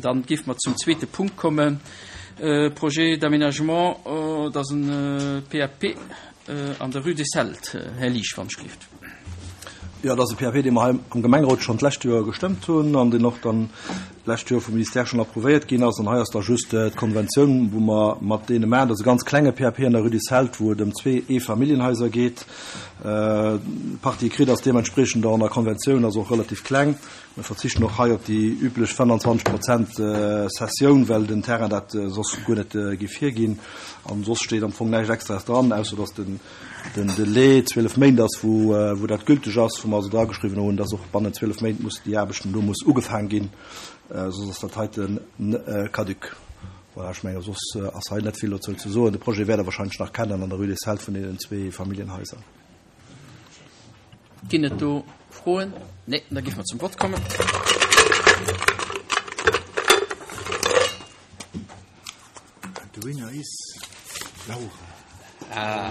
Dann géife mer zum zweete Punkt kommen, Projet d'aménagement, dat ass en PAP an der Rue des Celtes. Här Liesch, wann ech gelift. Jo, dat ass e PAP, dee mer hei am Gemengerot schonn d'lescht Joer gestëmmt hunn an deen och dann d'lescht Joer vum Ministère schonn approuvéiert ginn ass. An hei ass da just d'Konventioun, wou mer mat deene maachen. Dat ass e ganz klenge PAP an der Rue des Celtes, wou et ëm zwee Eefamilljenhaiser geet. D'Partie écrite ass deementspreechend och an der Konventioun ass och relativ kleng. Mir verzichten och hei op déi üblech 25 Prozent Cessioun, well den Terrain dat soss guer net géif hierginn. An soss steet am Fong näischt Extraes dran, ausser datt den den Delai 12 Méint ass, wou wou dat gülteg ass, wou mer also drageschriwwen hunn, datt och bannent 12 Méint muss déi Aarbechten do muss ugefaang ginn, soss ass dat heite caduc. Voilà, ech menge soss ass hei net vill dozou ze soen. De Projet wäert Der wahrscheinlech nach kennen an der Rue des Celtes vun deenen zwee Familljenhaiser. Ginn et do Froen? Nee, da géife mer zum Vott kommen. The winner is Laura. Ah,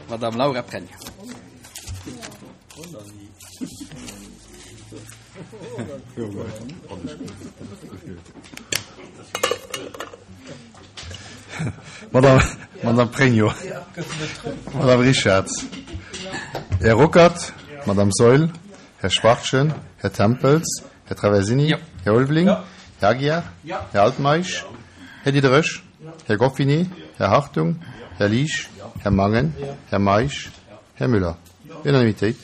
Madame Laura Pregno. Madame, Madame Pregno. Madame Richarz. Här Ruckert. Madame Saeul. Här Schwachtgen. Här Tempels. Här Traversini. Här Ulveling. Här Aguiar. Här Altmeisch. Här Diderich. Här Goffinet. Här Hartung. Här Liesch. Här Mangen. Här Meisch. Här Muller. Unanimitéit.